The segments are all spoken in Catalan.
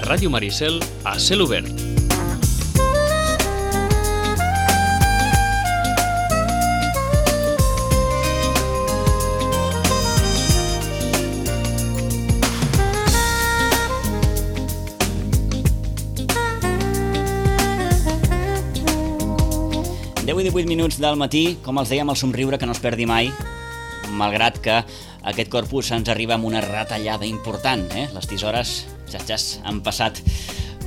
Ràdio Maricel a Cel Obert. Deu i 18 minuts del matí, com els dèiem, el somriure que no es perdi mai, malgrat que aquest corpus ens arriba amb una retallada important. Les tisores, han passat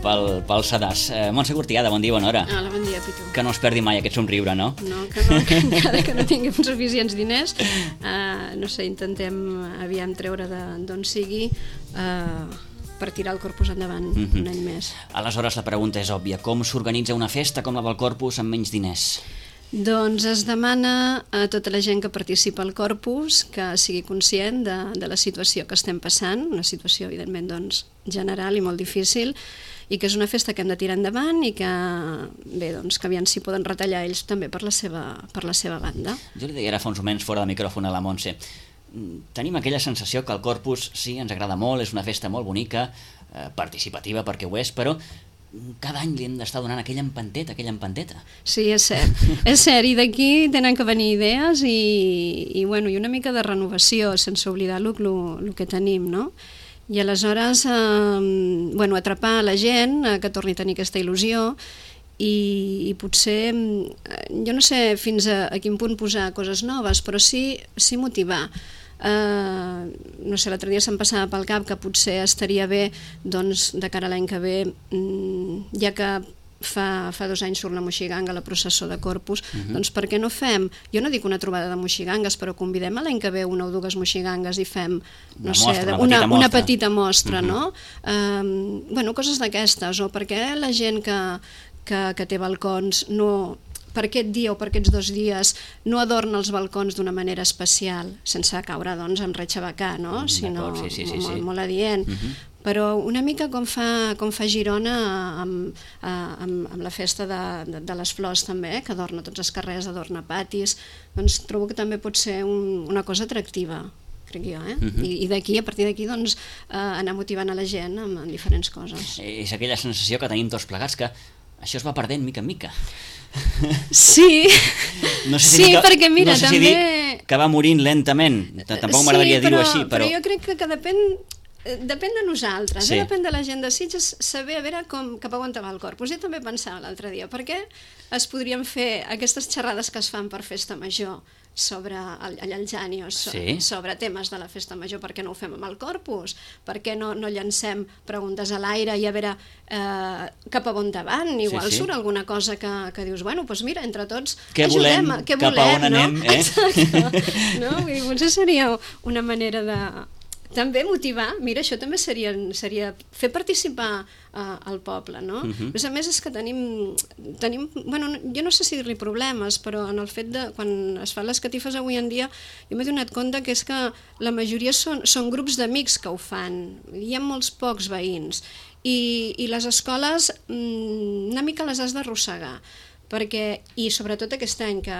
pel sedàs. Montse Cortiada, bon dia, bona hora. Hola, bon dia, Pitu. Que no es perdi mai aquest somriure, no? No, que no, que encara que no tinguem suficients diners, no sé, intentem aviam treure d'on sigui per tirar el Corpus endavant un any més. Aleshores, la pregunta és òbvia. Com s'organitza una festa com la del Corpus amb menys diners? Doncs es demana a tota la gent que participa al Corpus que sigui conscient de la situació que estem passant, una situació, evidentment, doncs, general i molt difícil, i que és una festa que hem de tirar endavant i que, bé, doncs, que aviam si poden retallar ells també per la seva banda. Jo li deia ara fa uns moments fora de micròfon a la Montse. Tenim aquella sensació que el Corpus, sí, ens agrada molt, és una festa molt bonica, participativa perquè ho és, però cada any li hem d'estar donant aquella empanteta. Sí, és cert. És cert, i d'aquí tenen que venir idees i una mica de renovació, sense oblidar el que tenim, no? I aleshores, atrapar la gent que torni a tenir aquesta il·lusió i potser, jo no sé fins a quin punt posar coses noves, però sí motivar. No sé, l'altre dia se'm passava pel cap que potser estaria bé, doncs, de cara a l'any que ve, ja que fa 2 anys surt la moixiganga, la processó de Corpus, doncs per què no fem, jo no dic una trobada de moixigangues, però convidem a l'any que ve 1 o 2 moixigangues i fem, no sé, una petita mostra, no? Coses d'aquestes, o perquè la gent que té balcons no... per aquest dia o per aquests 2 dies no adorna els balcons d'una manera especial, sense caure, doncs, en retxabacar, no? Sinó molt adient. Però una mica com fa Girona amb la festa de les flors també, que adorna tots els carrers, adorna patis, doncs trobo que també pot ser una cosa atractiva, crec jo, I a partir d'aquí, doncs, anar motivant a la gent amb diferents coses. És aquella sensació que tenim tots plegats, que això es va perdent mica en mica. Sí, perquè mira, també... No sé si dir que va morint lentament, tampoc m'agradaria dir-ho així, però... Però jo crec que depèn de nosaltres, depèn de la gent de Sitges, saber a veure cap a on va el Corpus. Jo també pensava l'altre dia, per què es podrien fer aquestes xerrades que es fan per festa major sobre allà al Janios, sobre temes de la festa major, per què no ho fem amb el Corpus? Per què no llancem preguntes a l'aire i a veure cap a on van? Igual surt alguna cosa que dius, bueno, doncs mira, entre tots ajudem, què volem, cap a on anem, Exacte. Potser seria una manera de... També motivar, mira, això també seria fer participar al poble, no? A més és que tenim, jo no sé si dir-li problemes, però en el fet de, quan es fan les catifes avui en dia, jo m'he donat compte que és que la majoria són grups d'amics que ho fan, hi ha molts pocs veïns, i les escoles una mica les has d'arrossegar, i sobretot aquest any que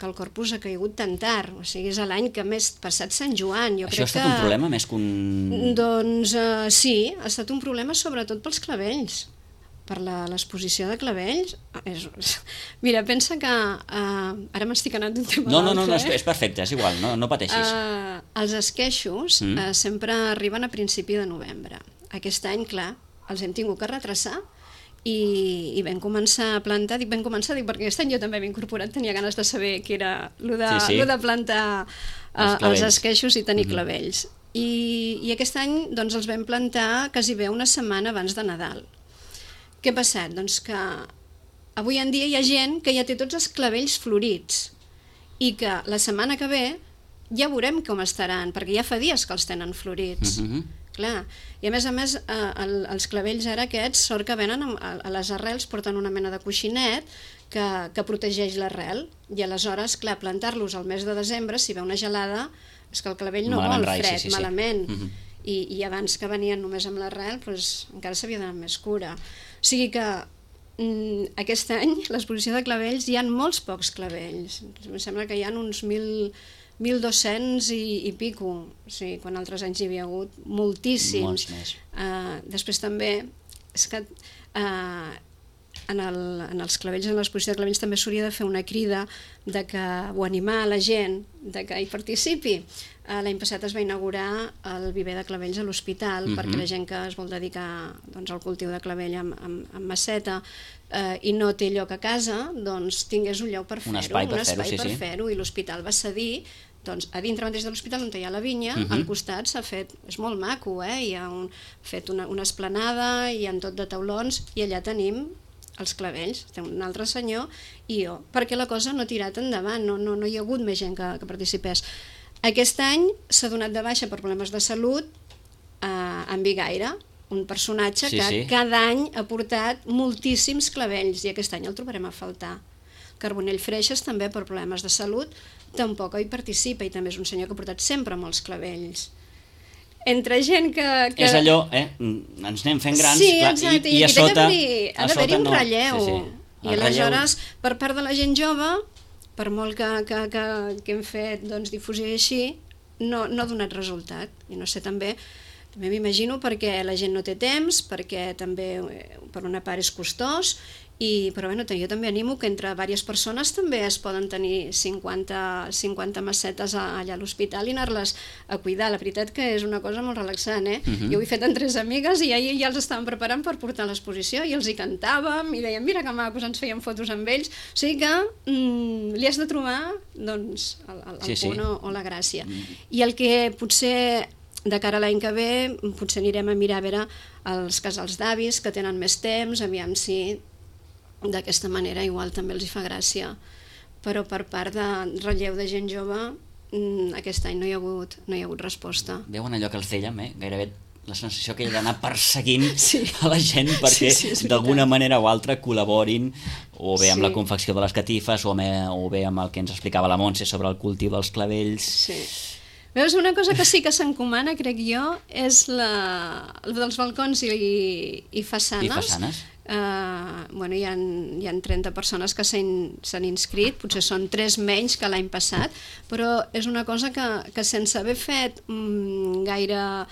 el Corpus ha caigut tan tard, o sigui, és l'any que més passat Sant Joan. Això ha estat un problema més que un... Doncs sí, ha estat un problema sobretot pels clavells, per l'exposició de clavells. Mira, pensa que... Ara m'estic anant d'un tema a l'altre. No, és perfecte, és igual, no pateixis. Els esqueixos sempre arriben a principi de novembre. Aquest any, clar, els hem tingut que retrasar, i vam començar a plantar, dic perquè aquest any jo també m'he incorporat, tenia ganes de saber què era el de plantar els esqueixos i tenir clavells. I aquest any doncs, els vam plantar quasi bé una setmana abans de Nadal. Què ha passat? Doncs que avui en dia hi ha gent que ja té tots els clavells florits i que la setmana que ve ja veurem com estaran, perquè ja fa dies que els tenen florits. Clar, i a més, els clavells ara aquests, sort que venen a les arrels, porten una mena de coixinet que protegeix l'arrel, i aleshores, clar, plantar-los al mes de desembre, si ve una gelada, és que el clavell no vol fred, malament, i abans que venien només amb l'arrel, encara s'havia d'anar amb més cura. O sigui que aquest any, l'exposició de clavells, hi ha molts pocs clavells, em sembla que hi ha uns 1.200 i pico, o sigui, quan altres anys hi havia hagut moltíssims. Després també és que en els clavells, en l'exposició de clavells també s'hauria de fer una crida o animar la gent que hi participi. L'any passat es va inaugurar el viver de clavells a l'hospital perquè la gent que es vol dedicar al cultiu de clavell amb maceta i no té lloc a casa, doncs tingués un lloc per fer-ho, un espai per fer-ho, i l'hospital va cedir a dintre mateix de l'hospital on hi ha la vinya, al costat s'ha fet, és molt maco, hi ha fet una esplanada, hi ha tot de taulons, i allà tenim els clavells, té un altre senyor i jo, perquè la cosa no ha tirat endavant, no hi ha hagut més gent que participés. Aquest any s'ha donat de baixa per problemes de salut en Bigaire, un personatge que cada any ha portat moltíssims clavells i aquest any el trobarem a faltar. Carbonell Freixas també per problemes de salut tampoc hi participa i també és un senyor que ha portat sempre molts clavells. Entre gent que... És allò, ens anem fent grans, sí, exacte, i a sota... Ha d'haver-hi un relleu. I aleshores, per part de la gent jove, per molt que hem fet difusió així, no ha donat resultat. I no sé, també m'imagino perquè la gent no té temps, perquè també per una part és costós, però jo també animo que entre diverses persones també es poden tenir 50 macetes allà a l'hospital i anar-les a cuidar. La veritat que és una cosa molt relaxant, Jo ho he fet amb 3 amigues i ja els estàvem preparant per portar a l'exposició i els hi cantàvem i dèiem, mira que macos, ens fèiem fotos amb ells. O sigui que li has de trobar el punt o la gràcia. I el que potser de cara a l'any que ve potser anirem a mirar a veure els casals d'avis que tenen més temps, aviam si d'aquesta manera igual també els hi fa gràcia, però per part de relleu de gent jove aquest any no hi ha hagut resposta. Veuen allò que els dèiem, gairebé la sensació que hi ha d'anar perseguint a la gent perquè d'alguna manera o altra col·laborin o bé amb la confecció de les catifes o bé amb el que ens explicava la Montse sobre el cultiu dels clavells. Veus, una cosa que sí que s'encomana, crec jo, és la dels balcons i façanes. I façanes? Hi ha 30 persones que s'han inscrit, potser són 3 menys que l'any passat, però és una cosa que sense haver fet gaire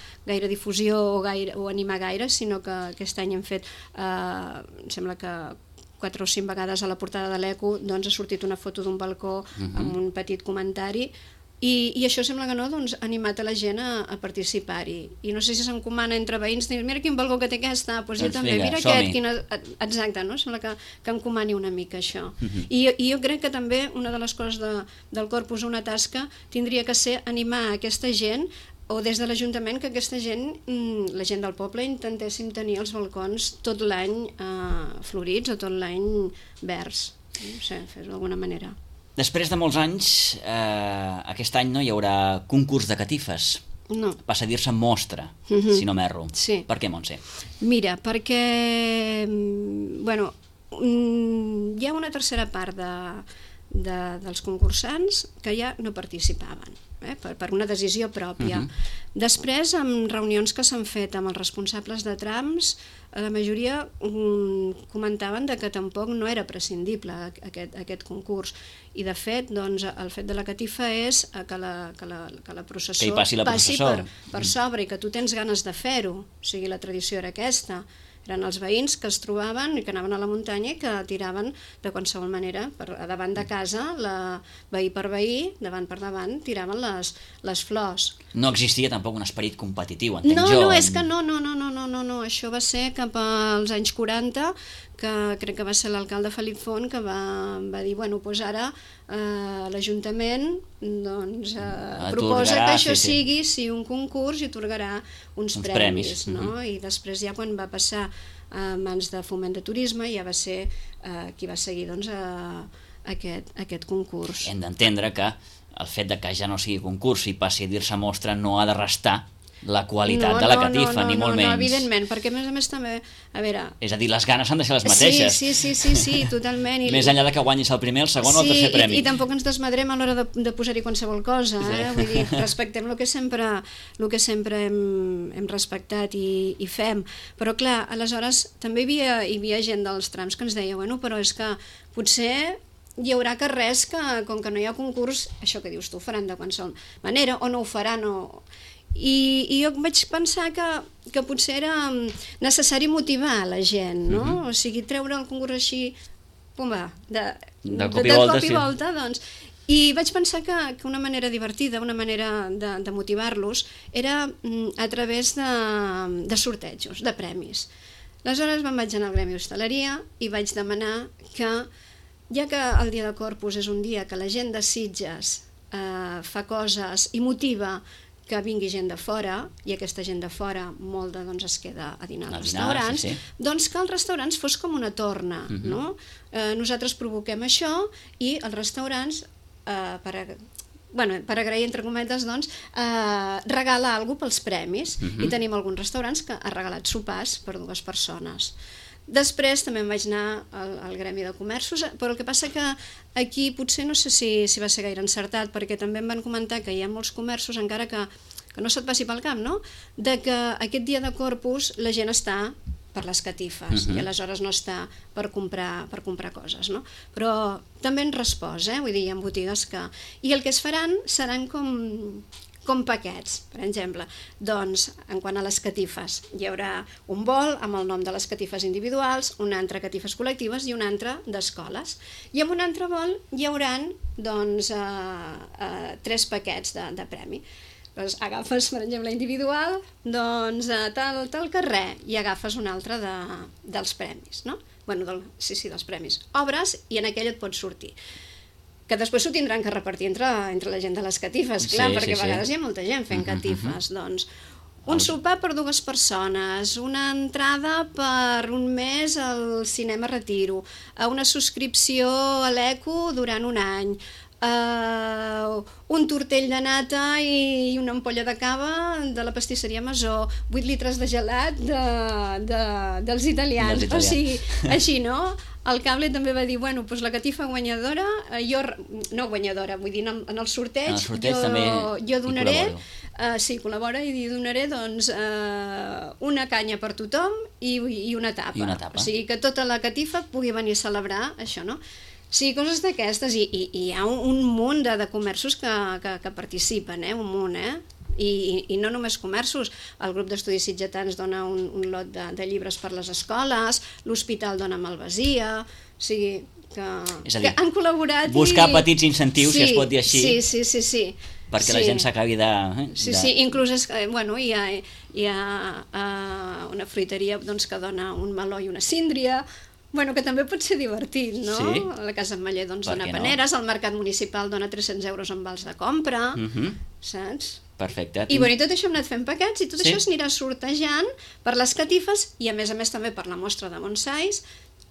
difusió o animar gaire, sinó que aquest any hem fet, em sembla que 4 o 5 vegades a la portada de l'Eco ha sortit una foto d'un balcó amb un petit comentari. I això sembla que no, animat a la gent a participar-hi. I no sé si s'encomana entre veïns, dir, mira quin balcó que té aquesta, doncs jo també, mira aquest, exacte, no? Sembla que encomani una mica això. I jo crec que també una de les coses del Corpus, una tasca, tindria que ser animar aquesta gent, o des de l'Ajuntament, que aquesta gent, la gent del poble, intentéssim tenir els balcons tot l'any florits o tot l'any verds. No sé, fer-ho d'alguna manera. Després de molts anys, aquest any no hi haurà concurs de catifes. No. Passa a dir-se mostra, si no m'erro. Sí. Per què, Montse? Mira, perquè hi ha una tercera part dels concursants que ja no participaven, per una decisió pròpia. Després, en reunions que s'han fet amb els responsables de trams, la majoria comentaven que tampoc no era prescindible aquest concurs. I de fet, el fet de la catifa és que la processó passi per sobre i que tu tens ganes de fer-ho. O sigui, la tradició era aquesta. Eren els veïns que es trobaven i que anaven a la muntanya i que tiraven de qualsevol manera, davant de casa, veí per veí, davant per davant, tiraven les flors. No existia tampoc un esperit competitiu, entenc jo. No, és que no, això va ser cap als anys 40, que crec que va ser l'alcalde Felip Font que va dir, doncs ara l'Ajuntament proposa que això sigui un concurs i atorgarà uns premis. I després ja quan va passar a mans de Foment de Turisme ja va ser qui va seguir aquest concurs. Hem d'entendre que el fet que ja no sigui concurs i passi a dir-se mostra no ha de restar la qualitat de la catifa, ni molt menys. No, evidentment, perquè a més també, a veure... És a dir, les ganes han de ser les mateixes. Sí, totalment. Més enllà que guanyis el primer, el segon o el tercer premi. I tampoc ens desmadrem a l'hora de posar-hi qualsevol cosa, vull dir, respectem el que sempre hem respectat i fem. Però clar, aleshores també hi havia gent dels trams que ens deia, però és que potser hi haurà carrers que, com que no hi ha concurs, això que dius tu, ho faran de qualsevol manera, o no ho faran, I jo vaig pensar que potser era necessari motivar la gent, no? O sigui, treure el concurs així, pumba, de cop i volta, doncs. I vaig pensar que una manera divertida, una manera de motivar-los, era a través de sortejos, de premis. Aleshores me'n vaig anar al Gremi d'Hostaleria i vaig demanar que, ja que el Dia de Corpus és un dia que la gent de Sitges fa coses i motiva que vingui gent de fora, i aquesta gent de fora molta doncs, es queda a dinar als restaurants, doncs que els restaurants fos com una torna, no? Nosaltres provoquem això i els restaurants, per agrair, entre cometes, doncs, regala alguna cosa pels premis, i tenim alguns restaurants que han regalat sopars per 2 persones. Després també em vaig anar al Gremi de Comerços, però el que passa que aquí potser no sé si va ser gaire encertat, perquè també em van comentar que hi ha molts comerços, encara que no se't passi pel cap, no? De que aquest dia de Corpus la gent està per les catifes i aleshores no està per comprar coses, no? Però també en respost, vull dir, hi ha botigues que... I el que es faran seran com paquets, per exemple. Doncs, en quant a les catifes, hi haurà un bol amb el nom de les catifes individuals, un altre catifes col·lectives i un altre d'escoles. I en un altre bol hi haurà, doncs, 3 paquets de premi. Doncs agafes, per exemple, individual, doncs tal carrer, i agafes un altre dels premis, no? Bueno, sí, dels premis. Obres i en aquell et pots sortir. Que després s'ho tindran que repartir entre la gent de les catifes, clar, perquè a vegades hi ha molta gent fent catifes. Doncs un sopar per 2 persones, una entrada per un mes al Cinema Retiro, una subscripció a l'Eco durant un any, un tortell de nata i una ampolla de cava de la pastisseria Masó, 8 litres de gelat dels italians. O sigui, així, no? El Cable també va dir, bueno, doncs la catifa guanyadora, no guanyadora, vull dir, en el sorteig jo donaré, sí, col·labora, i donaré doncs una canya per tothom i una tapa. O sigui, que tota la catifa pugui venir a celebrar això, no? Sí, coses d'aquestes, i hi ha un munt de comerços que participen, un munt, i no només comerços. El grup d'estudis sitgetans dona un lot de llibres per les escoles, l'hospital dona malvasia, o sigui que han col·laborat. Buscar petits incentius, si es pot dir així, sí, perquè la gent s'acabi de... Sí, inclús hi ha una fruiteria que dona un meló i una síndria, que també pot ser divertit, no? La Casa Ametller dona paneres, el Mercat Municipal dona 300 euros en vals de compra, saps? Perfecte. I tot això hem anat fent paquets i tot això s'anirà sortejant per les catifes i a més també per la mostra de bonsais,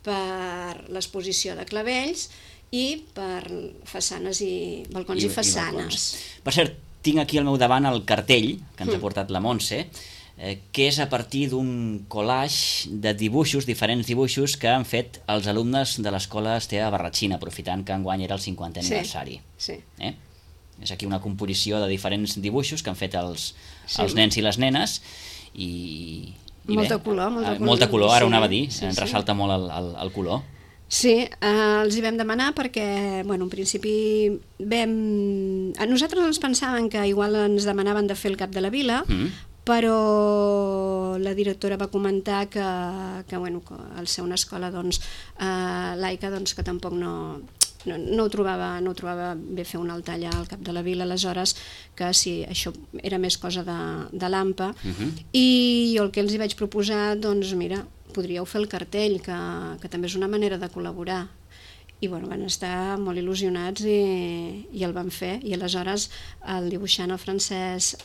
per l'exposició de clavells i per façanes i balcons i façanes. Per cert, tinc aquí al meu davant el cartell que ens ha portat la Montse, que és a partir d'un collage de dibuixos, diferents dibuixos que han fet els alumnes de l'escola Esteve Barratxina, aprofitant que enguany era el 50è aniversari. És aquí una composició de diferents dibuixos que han fet els nens i les nenes, i molta color. Molta color, ara ho anava a dir, ens ressalta molt el color. Sí, els hi vam demanar perquè, en principi nosaltres ens pensàvem que igual ens demanaven de fer el cap de la vila, però la directora va comentar que al ser una escola laica que tampoc no ho trobava bé fer un altar allà al cap de la vila, aleshores que sí, això era més cosa de l'AMPA, i jo el que els hi vaig proposar, doncs mira, podríeu fer el cartell, que també és una manera de col·laborar. I van estar molt il·lusionats i el van fer, i aleshores el dibuixant, el Francesc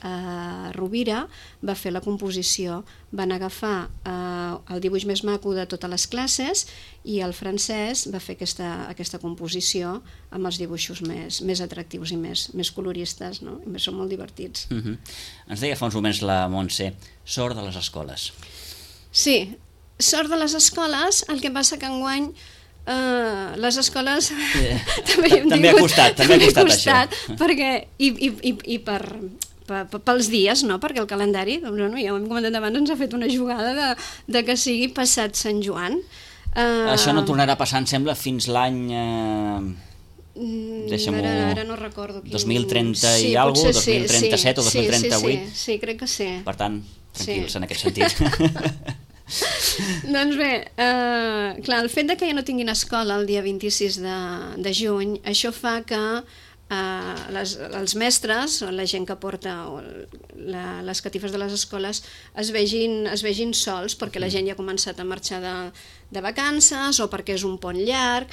Rovira, va fer la composició. Van agafar el dibuix més maco de totes les classes i el Francesc va fer aquesta composició amb els dibuixos més atractius i més coloristes, no? I són molt divertits. Ens deia fa uns moments la Montse, sort de les escoles. Sí, sort de les escoles, el que passa que enguany les escoles també ha costat això, perquè i pels dies, no? Perquè el calendari, ja ho hem comentat abans, ens ha fet una jugada de que sigui passat Sant Joan. Això no tornarà a passar, em sembla, fins l'any Ara no recordo. 2030 i alguna cosa, 2037 o 2038. Sí, crec que sí. Per tant, tranquils en aquest sentit. Doncs bé, clar, el fet que ja no tinguin escola el dia 26 de juny, això fa que els mestres o la gent que porta les catifes de les escoles es vegin sols perquè la gent ja ha començat a marxar de vacances o perquè és un pont llarg,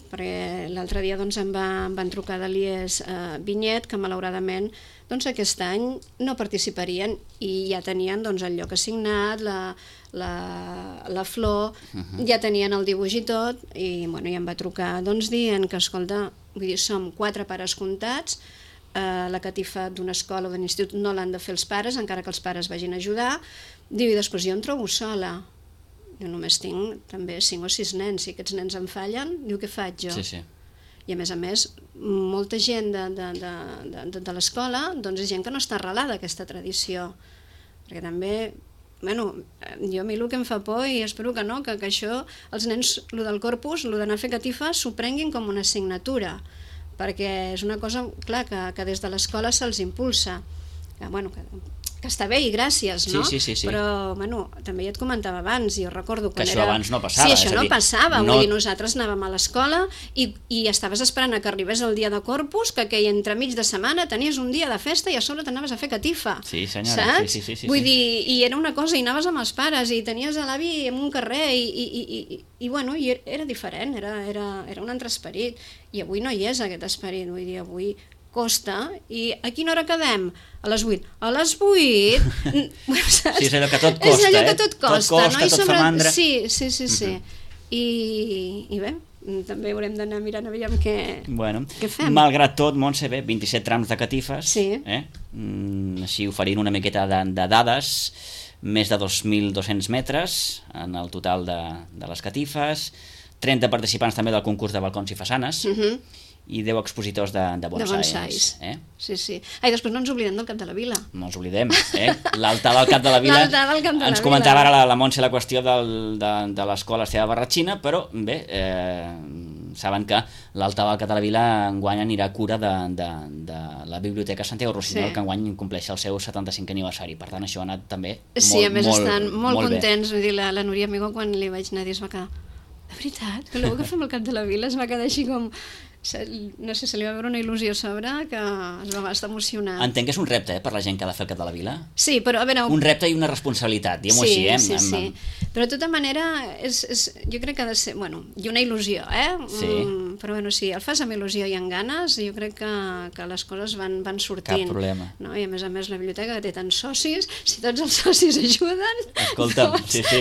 perquè l'altre dia doncs, em van trucar de l'IES Vinyet que malauradament doncs, aquest any no participarien i ja tenien doncs, el lloc assignat, la flor, ja tenien el dibuix i tot i bueno, ja em va trucar doncs, dient que escolta, vull dir, som 4 pares comptats, la catifa d'una escola o d'un institut no l'han de fer els pares, encara que els pares vagin a ajudar. Diu, i després jo em trobo sola. Jo només tinc també 5 o 6 nens, si aquests nens em fallen, diu, què faig jo? Sí. I a més, molta gent de l'escola doncs és gent que no està arrelada a aquesta tradició. Perquè també, bueno, jo a mi el que em fa por i espero que no, que això, els nens, el del corpus, el d'anar a fer catifa, s'ho prenguin com una assignatura, perquè és una cosa, clar, que des de l'escola se'ls impulsa. Que, bueno, que està bé i gràcies, no? Sí. Però, bueno, també ja et comentava abans, jo recordo quan que això abans no passava. Sí, això no passava, vull dir, nosaltres anàvem a l'escola i estaves esperant que arribés el dia de Corpus, que entremig de setmana tenies un dia de festa i a sobre t'anaves a fer catifa. Sí, senyora, saps? Sí. Vull dir, i era una cosa, i anaves amb els pares, i tenies a l'avi en un carrer, i bueno, i era diferent, era un altre esperit, i avui no hi és aquest esperit, vull dir, avui costa, i a quina hora quedem? A les 8. A les 8... Sí, és allò que tot costa, és allò que tot costa, no? Tot fa mandra. Sí. I bé, també haurem d'anar mirant a veure què fem. Malgrat tot, Montse, 27 trams de catifes, sí. Així oferint una miqueta de dades, més de 2.200 metres en el total de les catifes, 30 participants també del concurs de balcons i façanes, i 10 expositors de bonsais. Sí. I després no ens oblidem del Cap de la Vila. No ens oblidem, l'altar del Cap de la Vila. Ens comentava ara la Montse la qüestió de l'escola Esteve Barratxina, però bé, saben que l'altar del Cap de la Vila enguany anirà a cura de la Biblioteca Santiago Rossinyol, que enguany compleix el seu 75è aniversari. Per tant, això ha anat també molt bé. Sí, a més estan molt contents. Vull dir, la Núria Amigó, quan li vaig anar a dir, es va quedar, de veritat, que l'heu que fem al Cap de la Vila, es va quedar així com... No sé, se li va veure una il·lusió a sobre que es va estar emocionant. Entenc que és un repte per la gent que ha de fer el Cap de la Vila. Sí, però a veure... Un repte i una responsabilitat, diguem-ho així. Sí. Però de tota manera, jo crec que ha de ser... Bueno, i una il·lusió, Sí. Però bueno, si el fas amb il·lusió i amb ganes, jo crec que les coses van sortint. Cap problema. No? I a més la biblioteca que té tants socis, si tots els socis ajuden... Escolta'm, doncs... sí.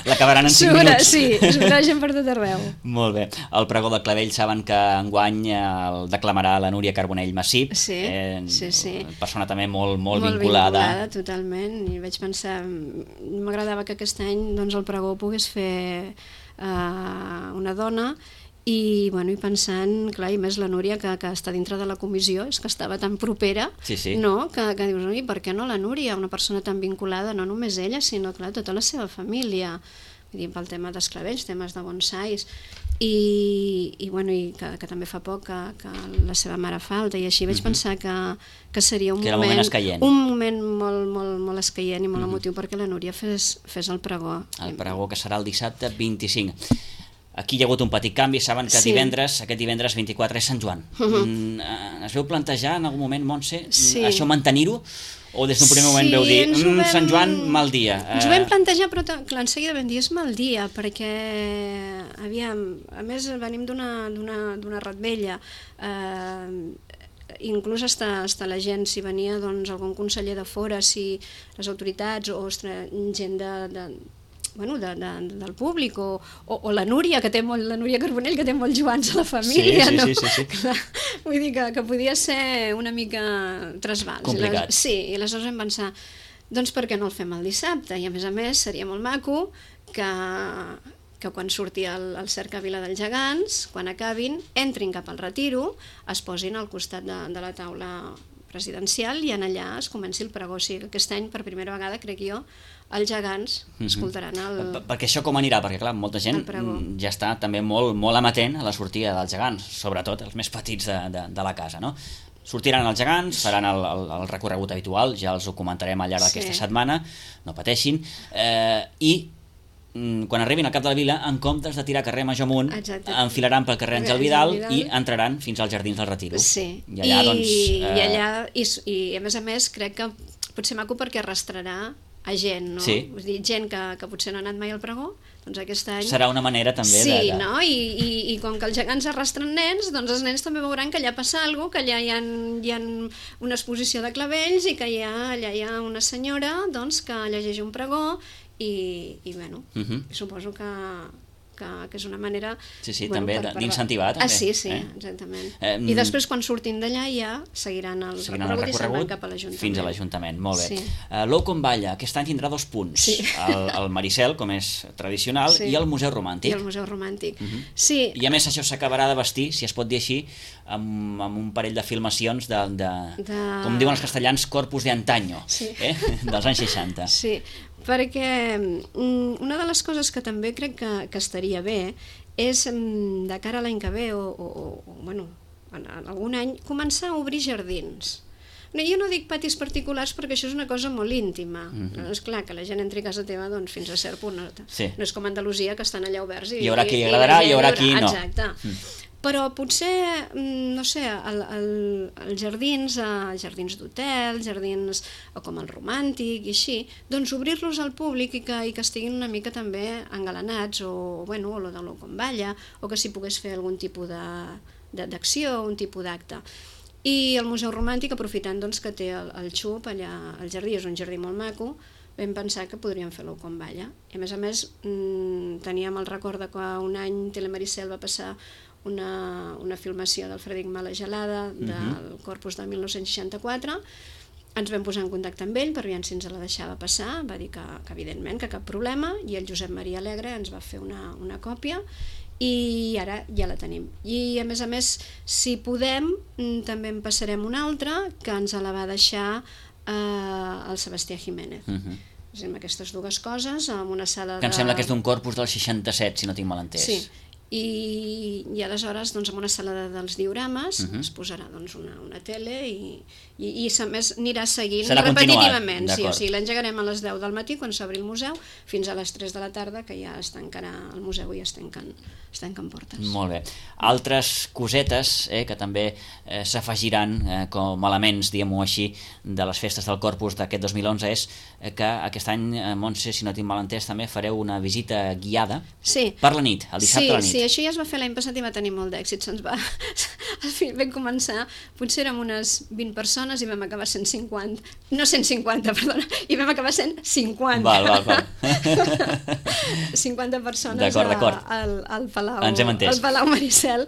L'acabaran en 5 minuts. Sí, es veurà gent per tot arreu. Molt bé. El pregó de Clavell saben que enguany el declamarà la Núria Carbonell Massip. Sí. Persona també molt vinculada. Molt vinculada, totalment. I vaig pensar, m'agradava que aquest any doncs, el pregó pogués fer una dona i pensant, clar, i més la Núria que està dintre de la comissió, és que estava tan propera, no? Que dius, oi, per què no la Núria, una persona tan vinculada, no només ella, sinó, clar, tota la seva família, vull dir, pel tema dels clavells, temes de bonsais, i que també fa poc que la seva mare falta, i així vaig pensar que seria un moment molt escaient i molt emotiu perquè la Núria fes el pregó. El pregó que serà el dissabte 25. Aquí hi ha hagut un petit canvi, saben que aquest divendres 24 és Sant Joan. Es veu plantejar en algun moment, Montse, això mantenir-ho? O des d'un primer moment veu dir, Sant Joan, mal dia? Ens ho vam plantejar, però clar, en seguida vam dir, és mal dia, perquè, aviam, a més venim d'una ratbella, inclús hasta la gent, si venia doncs, algun conseller de fora, si les autoritats o gent del públic o la Núria, la Núria Carbonell, que té molts Joans a la família, no? Sí. Vull dir que podia ser una mica trasbals. Complicat. I aleshores vam pensar, doncs per què no el fem el dissabte? I a més seria molt maco que quan surti el Cercavila dels Gegants, quan acabin, entrin cap al retiro, es posin al costat de la taula residencial, i en allà es comenci el pregó. O sigui que aquest any, per primera vegada, crec jo, els gegants escoltaran perquè això com anirà? Perquè clar, molta gent ja està també molt amatent a la sortida dels gegants, sobretot els més petits de la casa, no? Sortiran els gegants, faran el recorregut habitual, ja els ho comentarem al llarg d'aquesta setmana, no pateixin, i quan arribin al cap de la vila, en comptes de tirar carrer Major amunt, enfilaran pel carrer Àngel Vidal i entraran fins als Jardins del Retiro. Sí, i allà, i a més crec que pot ser maco perquè arrastrarà a gent, no? Sí. Vull dir, gent que potser no ha anat mai al pregó, doncs aquest any... Serà una manera també de... Sí, no? I com que els gegants arrastren nens, doncs els nens també veuran que allà passa alguna cosa, que allà hi ha una exposició de clavells i que allà hi ha una senyora doncs, que llegeix un pregó i bueno, suposo que és una manera... Sí, també d'incentivar. Sí, exactament. I després, quan surtin d'allà, ja seguiran el recorregut i se'n van cap a l'Ajuntament. Fins a l'Ajuntament, molt bé. L'Ou com Balla, aquest any tindrà 2 punts. El Maricel, com és tradicional, i el Museu Romàntic. I el Museu Romàntic, sí. I a més això s'acabarà de vestir, si es pot dir així, amb un parell de filmacions com diuen els castellans, corpus de antaño, dels anys 60. Sí, perquè una de les coses que també crec que estaria bé és de cara a l'any que ve o bueno, en algun any començar a obrir jardins. Jo no dic patis particulars perquè això és una cosa molt íntima. És clar que la gent entri a casa teva fins a cert punt. No és com a Andalusia, que estan allà oberts. Hi haurà qui li agradarà i hi haurà qui no. Exacte. Però potser, no sé, els jardins d'hotel, jardins com el Romàntic i així, doncs obrir-los al públic i que estiguin una mica també engalanats, o lo de l'Ou com Balla, o que s'hi pogués fer algun tipus d'acció, un tipus d'acte. I el Museu Romàntic, aprofitant que té el xup allà al jardí, és un jardí molt maco, vam pensar que podríem fer l'Ou com Balla. I a més, teníem el record que un any Telemaricel va passar una filmació del Frederic Mala Gelada del Corpus del 1964. Ens vam posar en contacte amb ell per veure si ens la deixava passar, va dir que evidentment, que cap problema, i el Josep Maria Alegre ens va fer una còpia i ara ja la tenim. I a més, si podem, també en passarem una altra que ens la va deixar el Sebastià Jiménez. Amb aquestes dues coses, amb una sala que em sembla que és d'un Corpus del 67, si no tinc mal entès. Sí. I aleshores en una sala dels diorames es posarà una tele i a més anirà seguint repetitivament. O sigui, l'engegarem a les 10 del matí quan s'obri el museu fins a les 3 de la tarda, que ja es tancarà el museu i es tanquen portes. Molt bé. Altres cosetes que també s'afegiran com elements, diguem-ho així, de les festes del Corpus d'aquest 2011 és que aquest any, Montse, si no tinc mal entès, també fareu una visita guiada per la nit, el dissabte a la nit. Sí, això ja es va fer l'any passat i va tenir molt d'èxit. Al final vam començar, potser érem unes 20 persones i vam acabar sent 50. No 150, perdona, i vam acabar sent 50. Val. 50 persones al Palau. Ens hem entès. Al Palau Maricel,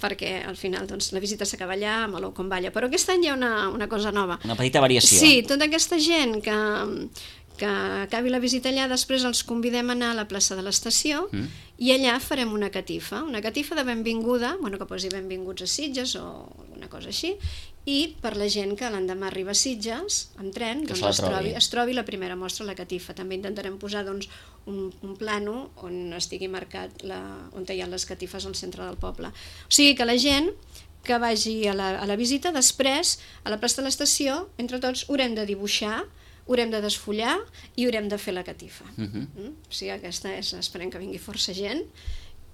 perquè al final la visita s'acaba allà amb l'Ou com Balla. Però aquest any hi ha una cosa nova. Una petita variació. Sí, tota aquesta gent que acabi la visita allà, després els convidem a anar a la plaça de l'Estació i allà farem una catifa de benvinguda, que posi benvinguts a Sitges o alguna cosa així, i per la gent que l'endemà arriba a Sitges amb tren, es trobi la primera mostra a la catifa. També intentarem posar un plano on estigui marcat on hi ha les catifes al centre del poble. O sigui que la gent que vagi a la visita, després a la plaça de l'Estació, entre tots haurem de dibuixar, haurem de desfullar i haurem de fer la catifa. O sigui, aquesta esperem que vingui força gent.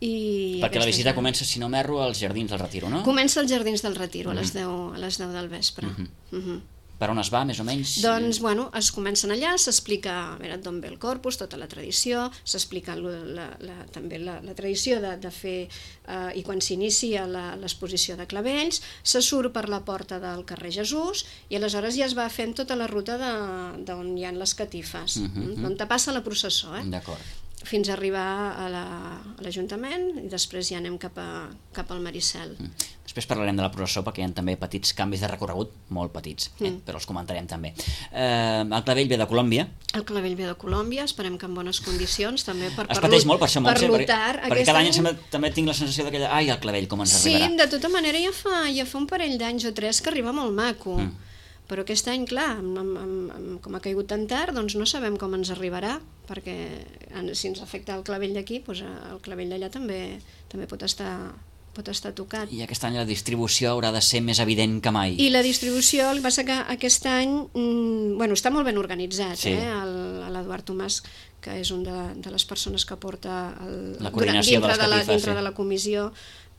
Perquè la visita comença, si no m'erro, als Jardins del Retiro, no? Comença als Jardins del Retiro, a les 10 del vespre. Per on es va, més o menys? Doncs, es comencen allà, s'explica d'on ve el Corpus, tota la tradició, s'explica també la tradició de fer, i quan s'inicia l'exposició de clavells, se surt per la porta del carrer Jesús i aleshores ja es va fent tota la ruta d'on hi ha les catifes, on te passa la processó. D'acord. fins a arribar a l'Ajuntament i després ja anem cap al Maricel. Després parlarem de la processó perquè hi ha també petits canvis de recorregut, molt petits, però els comentarem també. El Clavell ve de Colòmbia. El Clavell ve de Colòmbia, esperem que en bones condicions també es pateix molt per això, Montse, perquè cada any any... també tinc la sensació d'aquella, ai, el Clavell com ens arribarà. Sí, de tota manera ja fa un parell d'anys o 3 que arriba molt maco, però aquest any, clar, com ha caigut tan tard, doncs no sabem com ens arribarà, perquè si ens afecta el Clavell d'aquí, doncs el Clavell d'allà també pot estar tocat. I aquest any la distribució haurà de ser més evident que mai. I la distribució, el que passa que aquest any està molt ben organitzat, sí. L'Eduard Tomàs, que és una de les persones que porta la coordinació dintre de la comissió,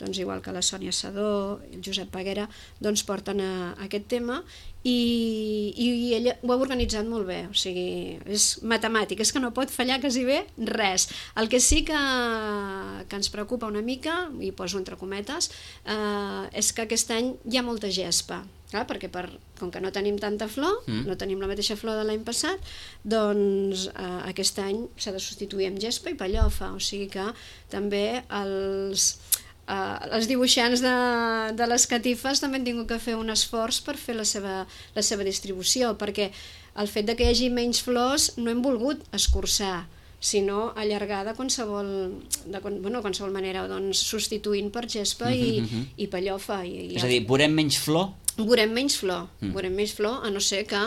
doncs igual que la Sònia Sadó, el Josep Peguera, doncs porten aquest tema i ella ho ha organitzat molt bé, o sigui, és matemàtic, és que no pot fallar quasi bé res. El que sí que ens preocupa una mica, i poso entre cometes, és que aquest any hi ha molta gespa. Clar, perquè com que no tenim tanta flor, no tenim la mateixa flor de l'any passat, doncs aquest any s'ha de substituir amb gespa i pellofa, o sigui que també els dibuixants de les catifes també han tingut que fer un esforç per fer la seva distribució, perquè el fet de que hi hagi menys flors no hem volgut escurçar, sinó allargar de qualsevol manera, doncs substituint per gespa i pellofa. És a dir, veurem menys flor? Veurem menys flor, a no ser que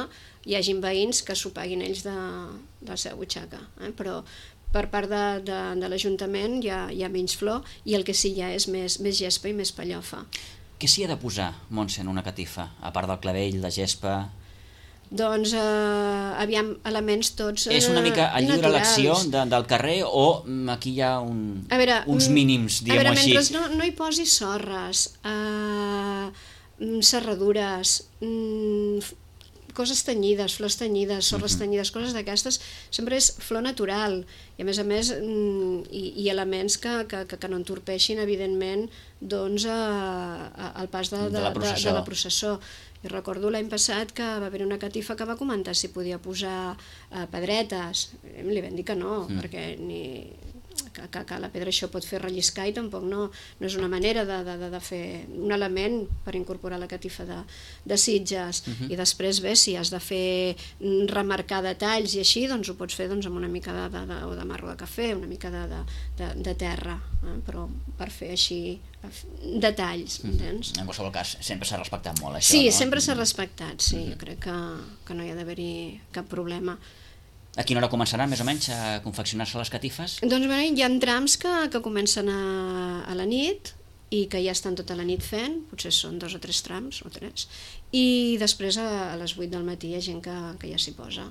hi hagin veïns que s'ho paguin ells de la seva butxaca, però per part de l'Ajuntament hi ha menys flor i el que sí hi ha és més gespa i més pellofa. Què s'hi ha de posar, Montse, en una catifa? A part del clavell, la gespa... Doncs, aviam, elements tots és una mica a lliure elecció del carrer o aquí hi ha uns mínims, diguem-ho així? Mentre no hi posi sorres, serradures, coses tenyides, flors tenyides, sorres tenyides, coses d'aquestes, sempre és flor natural i a més i elements que no entorpeixin evidentment doncs el pas de la processó. I recordo l'any passat que va haver una catifa que va comentar si podia posar pedretes, li vam dir que no, perquè que la pedra això pot fer relliscar i tampoc no és una manera de fer un element per incorporar la catifa de Sitges. I després bé, si has de fer remarcar detalls i així, doncs ho pots fer amb una mica de marro de cafè, una mica de terra, però per fer així detalls, entens? En qualsevol cas, sempre s'ha respectat molt això, sí, no? Sempre s'ha respectat, sí, jo crec que no hi ha d'haver-hi cap problema. A quina hora començaran, més o menys, a confeccionar-se les catifes? Doncs bé, hi ha trams que comencen a la nit i que ja estan tota la nit fent, potser són 2 o 3 trams, o 3, i després a les 8 del matí hi ha gent que ja s'hi posa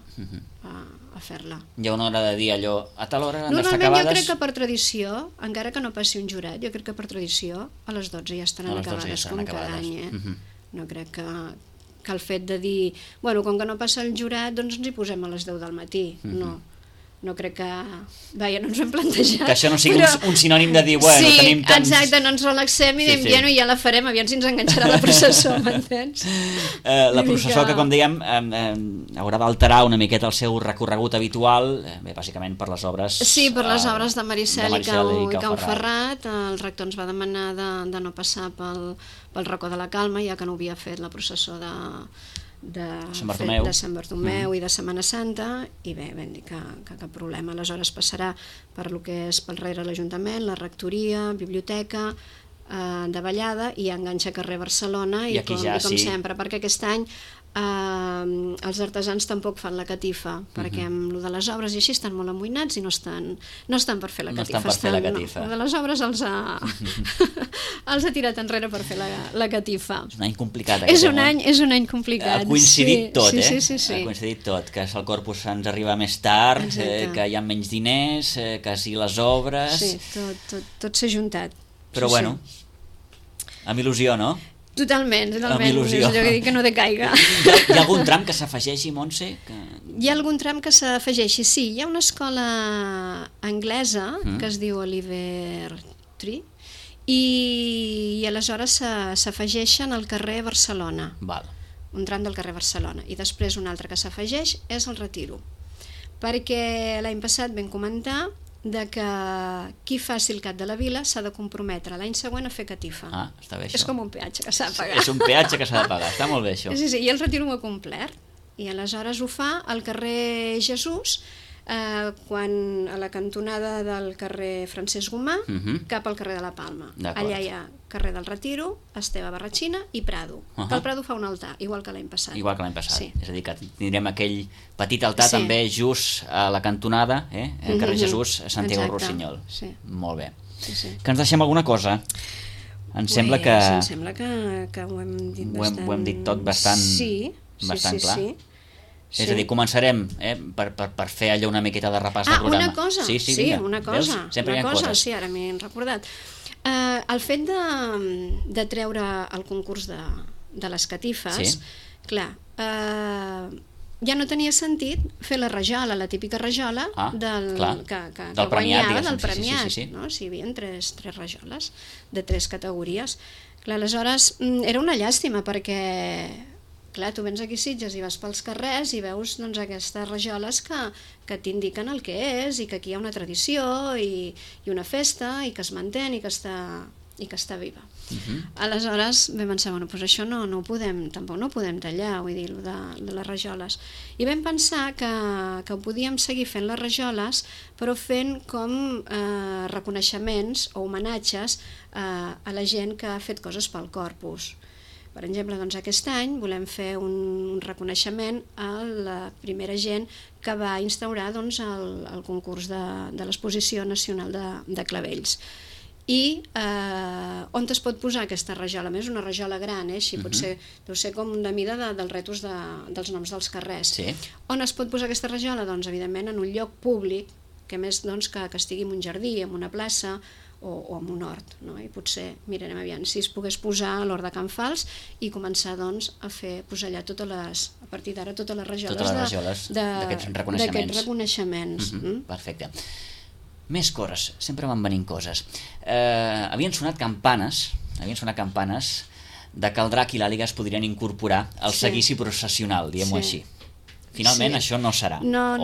a fer-la. Hi ha una hora de dir allò, a tal hora han d'estar acabades? Normalment jo crec que per tradició, encara que no passi un jurat, jo crec que per tradició a les 12 ja estaran acabades, com cada any. No crec que el fet de dir, com que no passa el jurat, doncs ens hi posem a les 10 del matí. No crec que... Vaja, no ens ho hem plantejat. Que això no sigui un sinònim de dir, bueno, tenim tants... Sí, exacte, no ens relaxem i diem, ja la farem, aviam si ens enganxarà la processó, m'entens? La processó que, com dèiem, haurà d'alterar una miqueta el seu recorregut habitual, bàsicament per les obres... Sí, per les obres de Maricel i Can Ferrat. El rector ens va demanar de no passar pel racó de la Calma, ja que no havia fet la processó de Sant Bartomeu i de Setmana Santa, i bé, vam dir que cap problema. Aleshores passarà per lo que és pel rere l'Ajuntament, la rectoria, biblioteca, de Vallada, i enganxa carrer Barcelona, i com sempre, perquè aquest any els artesans tampoc fan la catifa, perquè amb lo de les obres i així estan molt amoïnats i no estan per fer la catifa. No, de les obres els ha tirat enrere per fer la catifa. És un any complicat. És un any complicat. Ha coincidit tot, sí. Ha coincidit tot, que el Corpus ens arriba més tard, que hi ha menys diners, que si les obres... Sí, tot s'ha juntat. Però bueno, amb il·lusió, no? Totalment, és allò que dic que no decaiga. Hi ha algun tram que s'afegeixi, Montse? Hi ha algun tram que s'afegeixi, sí. Hi ha una escola anglesa que es diu Oliver Tree i aleshores s'afegeixen al carrer Barcelona. Un tram del carrer Barcelona. I després un altre que s'afegeix és el Retiro. Perquè l'any passat vam comentar de que qui faci el Cap de la Vila s'ha de comprometre l'any següent a fer catifa. Està bé això. És com un peatge que s'ha de pagar. És un peatge que s'ha de pagar, està molt bé això. Sí, i el retiro ho ha complert. I aleshores ho fa al carrer Jesús, quan a la cantonada del carrer Francesc Gomà cap al carrer de la Palma. Allà hi ha carrer del Retiro, Esteve Barratxina i Prado. Que el Prado fa un altar, igual que l'any passat. Igual que l'any passat. Sí. És a dir, que tindrem aquell petit altar també just a la cantonada, al carrer Jesús, Santiago Rossinyol. Sí. Molt bé. Sí. Que ens deixem alguna cosa? Em sembla que ho hem dit bastant... Ho hem dit tot bastant clar. Sí. És a dir, començarem per fer allò una miqueta de repàs del programa. Una cosa, una cosa. Sempre hi ha coses. Sí, ara m'he recordat. El fet de treure el concurs de les catifes, clar, ja no tenia sentit fer la rajola, la típica rajola que guanyava del premiat. Si hi havia tres rajoles de 3 categories. Clar, aleshores era una llàstima perquè... Clar, tu vens aquí a Sitges i vas pels carrers i veus aquestes rajoles que t'indiquen el que és i que aquí hi ha una tradició i una festa i que es manté i que està viva. Aleshores vam pensar, doncs això tampoc no ho podem tallar, vull dir, de les rajoles. I vam pensar que ho podíem seguir fent les rajoles, però fent com reconeixements o homenatges a la gent que ha fet coses pel Corpus. Per exemple, aquest any volem fer un reconeixement a la primera gent que va instaurar el concurs de l'Exposició Nacional de Clavells. I on es pot posar aquesta rajola? A més, una rajola gran, així potser deu ser com de mida dels retos dels noms dels carrers. On es pot posar aquesta rajola? Doncs, evidentment, en un lloc públic, que més que estigui en un jardí, en una plaça, o en un hort, i potser mirarem aviam si es pogués posar a l'hort de Can Fals i començar a posar allà a partir d'ara totes les rajoles d'aquests reconeixements. Perfecte. Més coses, sempre van venint coses. Havien sonat campanes de que el drac i l'àliga es podrien incorporar al seguici processional, diguem-ho així. Finalment això no serà, no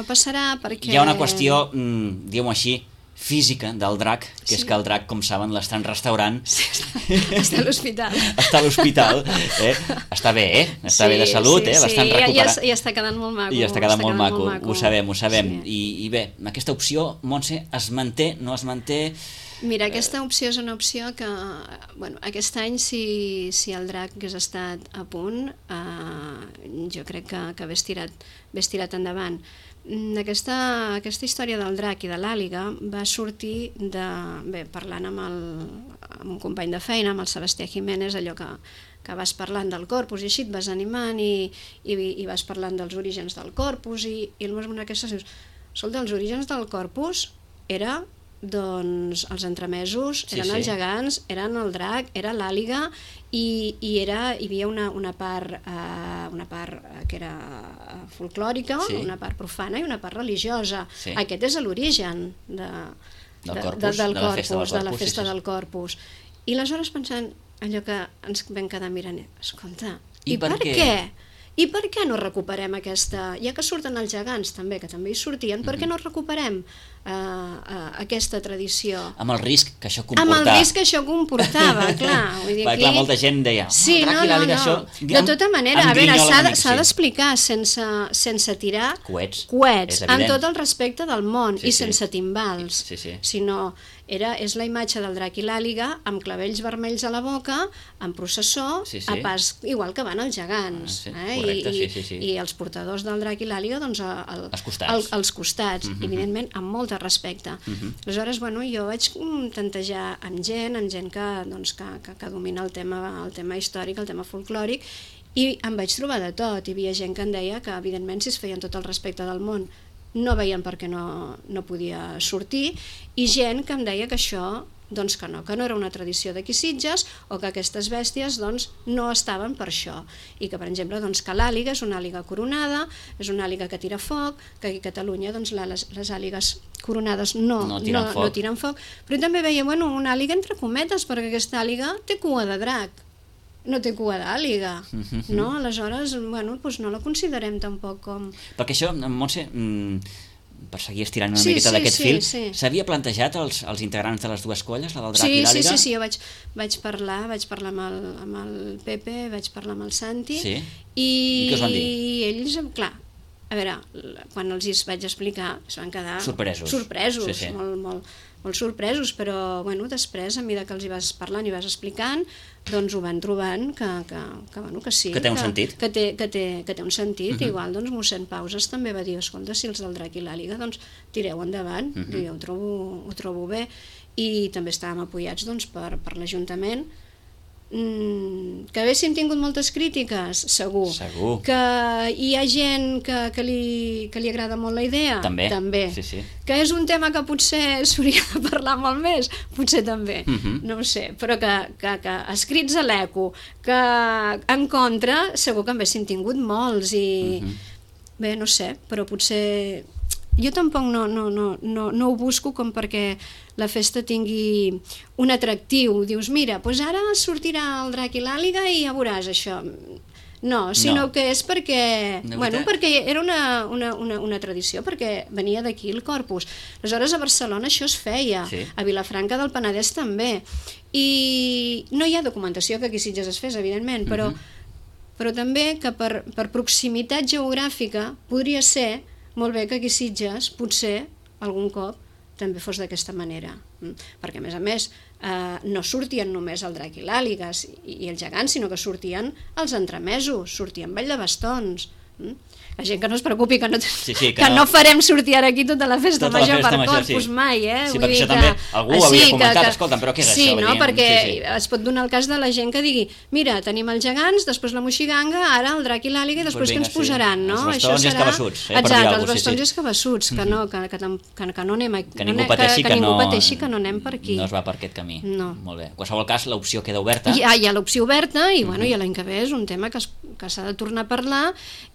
passarà perquè... Hi ha una qüestió, diguem-ho així, física del drac, que és que el drac, com saben, l'estan restaurant. Està a l'hospital. Està a l'hospital, està bé, està bé de salut, l'estan recuperant. I està quedant molt maco. I està quedant molt maco, ho sabem. I bé, aquesta opció, Montse, es manté, no es manté? Mira, aquesta opció és una opció que, aquest any, si el drac hagués estat a punt, jo crec que hagués tirat endavant. Aquesta història del drac i de l'àliga va sortir parlant amb un company de feina, amb el Sebastià Jiménez, allò que vas parlant del Corpus i així et vas animant i vas parlant dels orígens del Corpus i el meu aquesta dius, escolta, els orígens del Corpus era els entremesos, eren els gegants, eren el drac, era l'àliga i hi havia una part que era folclòrica, una part profana i una part religiosa. Aquest és l'origen del Corpus, de la festa del Corpus. I aleshores pensant allò que ens vam quedar mirant, escolta, i per què? I per què no recuperem aquesta... Ja que surten els gegants també, que també hi sortien, per què no recuperem aquesta tradició? Amb el risc que això comportava. Amb el risc que això comportava, clar. Clar, molta gent deia... Sí, no. De tota manera, a veure, s'ha d'explicar sense tirar coets, amb tot el respecte del món i sense timbals. Sinó, és la imatge del drac i l'àliga amb clavells vermells a la boca, en processó, a pas igual que van els gegants. I els portadors del drac i l'àliga als costats, evidentment amb molt de respecte. Aleshores, jo vaig tantejar amb gent que domina el tema històric, el tema folclòric, i em vaig trobar de tot. Hi havia gent que em deia que, evidentment, si es feien tot el respecte del món, no veien per què no podia sortir, i gent que em deia que això que no era una tradició d'aquí Sitges o que aquestes bèsties no estaven per això, i que per exemple que l'àliga és una àliga coronada, és una àliga que tira foc, que aquí a Catalunya les àligues coronades no tiren foc, però també veia una àliga entre cometes, perquè aquesta àliga té cua de drac, no té cua d'àliga, no? Aleshores, no la considerem tampoc com... Perquè això, Montse, per seguir estirant una miqueta d'aquest fil, s'havia plantejat als integrants de les dues colles, la del Drac i l'Àliga? Sí, jo vaig parlar amb el Pepe, vaig parlar amb el Santi, i què us van dir? I ells, clar, a veure, quan els vaig explicar es van quedar sorpresos, molt sorpresos, però bueno, després, a mesura que els hi vas parlant i vas explicant, doncs ho van trobant que sí, que té un sentit, que té un sentit. Igual doncs mossèn Pauses també va dir, escolta, si els del Drac i l'Àliga, doncs tireu endavant, i jo ho trobo bé, i també estàvem apoyats doncs, per l'Ajuntament. Que haguéssim tingut moltes crítiques, segur. Que hi ha gent que li agrada molt la idea, també. Que és un tema que potser s'hauria de parlar molt més, potser també, no ho sé, però que escrits a l'ECO, que en contra segur que en haguéssim tingut molts, i bé, no sé, però potser jo tampoc no ho busco com perquè la festa tingui un atractiu. Dius, mira, doncs ara sortirà el Drac i l'Àliga i ja veuràs això. No, sinó que és perquè era una tradició, perquè venia d'aquí el Corpus. Aleshores a Barcelona això es feia, a Vilafranca del Penedès també, i no hi ha documentació que aquí a Sitges es fes, evidentment, però també que per proximitat geogràfica podria ser molt bé que aquí a Sitges potser algun cop també fos d'aquesta manera, perquè a més no sortien només el Drac i l'Àliga i el Gegant, sinó que sortien els entremesos, sortien Ball de Bastons. La gent que no es preocupi, que no farem sortir ara aquí tota la festa major per Corpus mai, Sí, perquè això també algú ho havia comentat, escolta'm, però què és això? Sí, no, perquè es pot donar el cas de la gent que digui, mira, tenim els gegants, després la moixiganga, ara el Drac i l'Àliga, i després què ens posaran, no? Els bastons i els cabassuts. Exacte, els bastons i els cabassuts, que no anem aquí, que ningú pateixi que no anem per aquí. No es va per aquest camí. Molt bé. En qualsevol cas, l'opció queda oberta. Hi ha l'opció oberta, i l'any que ve és un tema que s'ha de tornar a parlar,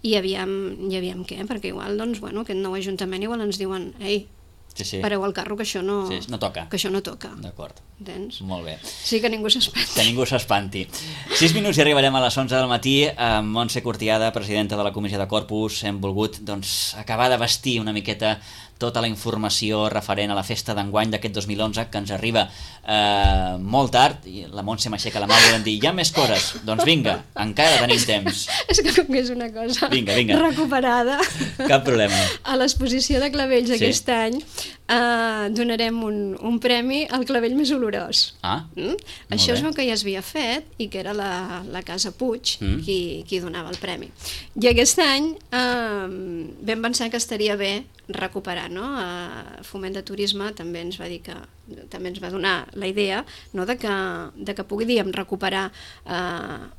i aviam què, perquè igual, doncs, aquest nou ajuntament igual ens diuen, ei, pareu al carro, que això no toca. D'acord. Entens? Molt bé. Sí, que ningú s'espanti. Que ningú s'espanti. 6 minuts i arribarem a les 11 del matí. Amb Montse Cortiada, presidenta de la Comissió de Corpus, hem volgut acabar de vestir una miqueta tota la informació referent a la festa d'enguany d'aquest 2011, que ens arriba molt tard, i la Montse m'aixeca la mà i em dir, hi ha més coses? Doncs vinga, encara tenim temps. És que com que és una cosa recuperada, cap problema. A l'exposició de clavells aquest any donarem un premi al clavell més olorós. Això és el que ja s'havia fet, i que era la Casa Puig qui donava el premi. I aquest any vam pensar que estaria bé recuperar, no? Foment de Turisme també ens va dir que també ens va donar la idea, no? de que podíem recuperar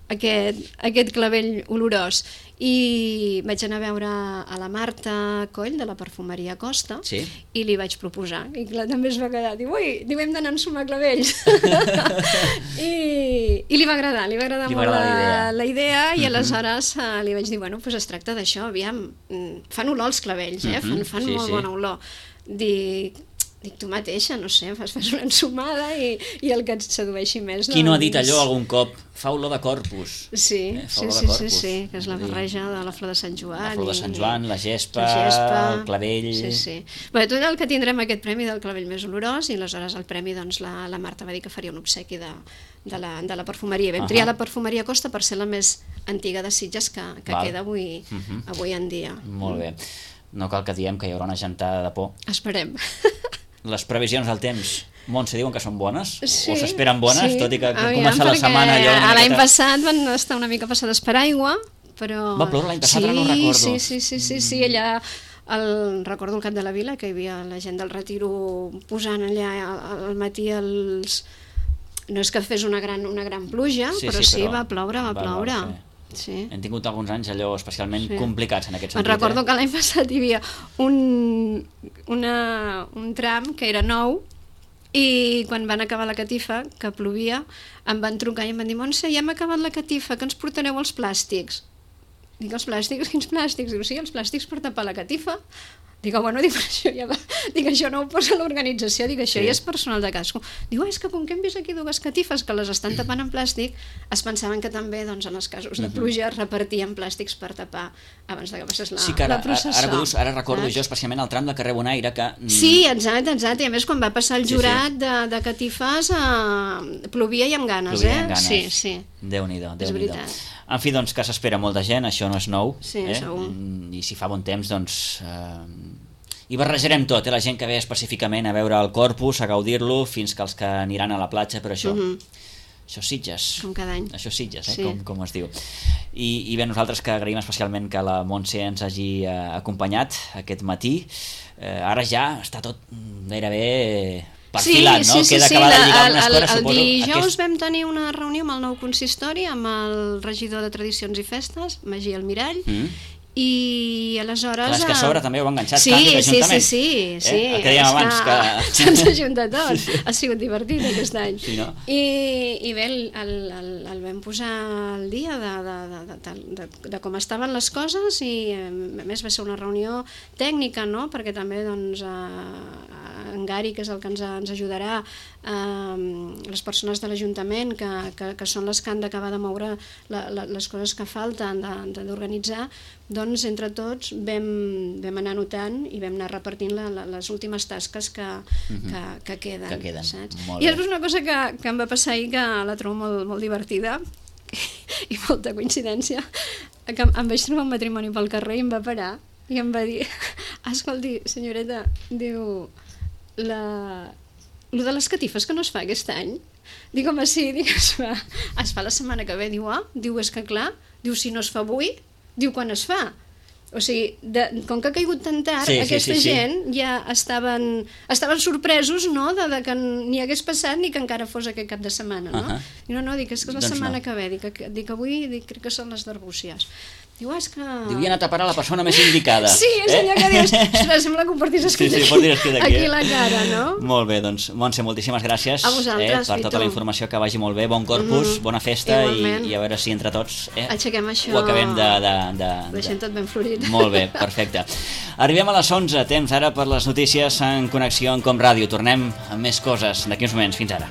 aquest clavell olorós, i vaig anar a veure a la Marta Coll de la perfumeria Costa i li vaig proposar, i clar, també es va quedar, diu, hem d'anar a ensumar clavells. I li va agradar molt la idea, i aleshores li vaig dir, bueno, doncs es tracta d'això, aviam, fan olor els clavells, fan molt bona olor. Dic, tu mateixa, no sé, fas una ensumada i el que et sedueixi més. Qui no ha dit allò algun cop? Fa olor de Corpus. Sí, que és la barreja de la flor de Sant Joan. La flor de Sant Joan, la gespa, el clavell... Sí. Bé, tot el que tindrem aquest premi del clavell més olorós, i aleshores el premi, doncs, la Marta va dir que faria un obsequi de la perfumeria. Vam triar la perfumeria Costa per ser la més antiga de Sitges que queda avui en dia. Molt bé. No cal que diem que hi haurà una gentada de por. Esperem. Les previsions del temps, Montse, diuen que són bones? O s'esperen bones, tot i que comença la setmana allò... L'any passat van estar una mica passades per aigua, però... Va ploure l'any passat, ara no recordo. Sí, allà... Recordo al cap de la vila que hi havia la gent del Retiro posant allà al matí els... No és que fes una gran pluja, però sí, va ploure. Sí. Hem tingut alguns anys allò especialment complicats en aquest sentit. Recordo que l'any passat hi havia un tram que era nou, i quan van acabar la catifa, que plovia, em van trucar i em van dir, Montse, ja hem acabat la catifa, que ens portareu els plàstics? Dic, els plàstics? Quins plàstics? Diu, sí, els plàstics per tapar la catifa. Dic, bueno, dic, això no ho posa l'organització, dic, això ja és personal de casco. Diu, és que com que hem vist aquí dues catifes que les estan tapant en plàstic, es pensaven que també, doncs, en els casos de pluja repartien plàstics per tapar abans de que passés la processó. Ara recordo jo especialment el tram del carrer Bonaire que... Sí, exacte, i a més quan va passar el jurat de catifes plovia i amb ganes, Sí. Déu-n'hi-do. És veritat. En fi, doncs, que s'espera molta gent, això no és nou. Sí, segur. I si fa bon temps, doncs... hi barrejarem tot, la gent que ve específicament a veure el Corpus, a gaudir-lo, fins que els que aniran a la platja, però això... Això és Sitges. Com cada any. Això és Sitges, com es diu. I bé, nosaltres que agraïm especialment que la Montse ens hagi acompanyat aquest matí. Ara ja està tot gairebé perfilat, no? Queda acabar de lligar unes coses, suposo. El dijous vam tenir una reunió amb el nou consistori, amb el regidor de Tradicions i Festes, Magí Almirall, i aleshores... Clar, és que a sobre també ho ha enganxat sí, el que dèiem abans que... se'ns ajunta tot, ha sigut divertit aquest any sí, no? I bé, el vam posar al dia de com estaven les coses i a més va ser una reunió tècnica, no? Perquè també doncs en Gary, que és el que ens ajudarà, les persones de l'Ajuntament que són les que han d'acabar de moure les coses que falten d'organitzar, doncs entre tots vam anar anotant i vam anar repartint les últimes tasques que queden, saps? I després una cosa que em va passar ahir que la trobo molt divertida i molta coincidència, que em vaig trobar un matrimoni pel carrer i em va parar i em va dir, escolti senyoreta, diu, lo de les catifes que no es fa aquest any? Dic, home, sí, es fa la setmana que ve. Diu, és que clar, diu, si no es fa avui, diu, quan es fa? O sigui, com que ha caigut tan tard, aquesta gent ja estaven sorpresos, no?, de que ni hagués passat ni que encara fos aquest cap de setmana, no? I no, dic, és que és la setmana que ve, dic, avui crec que són les d'Arbúcies. Diu, és que... Diu, hi ha anat a parar la persona més indicada. Sí, és allò que dius, sembla que ho portis escrit aquí la cara, no? Molt bé, doncs, Montse, moltíssimes gràcies per tota la informació, que vagi molt bé, bon Corpus, bona festa i a veure si entre tots aixequem això, ho acabem de... deixem tot ben florit. Molt bé, perfecte. Arribem a les 11, temps ara per les notícies en connexió amb Com Ràdio. Tornem amb més coses d'aquí uns moments. Fins ara.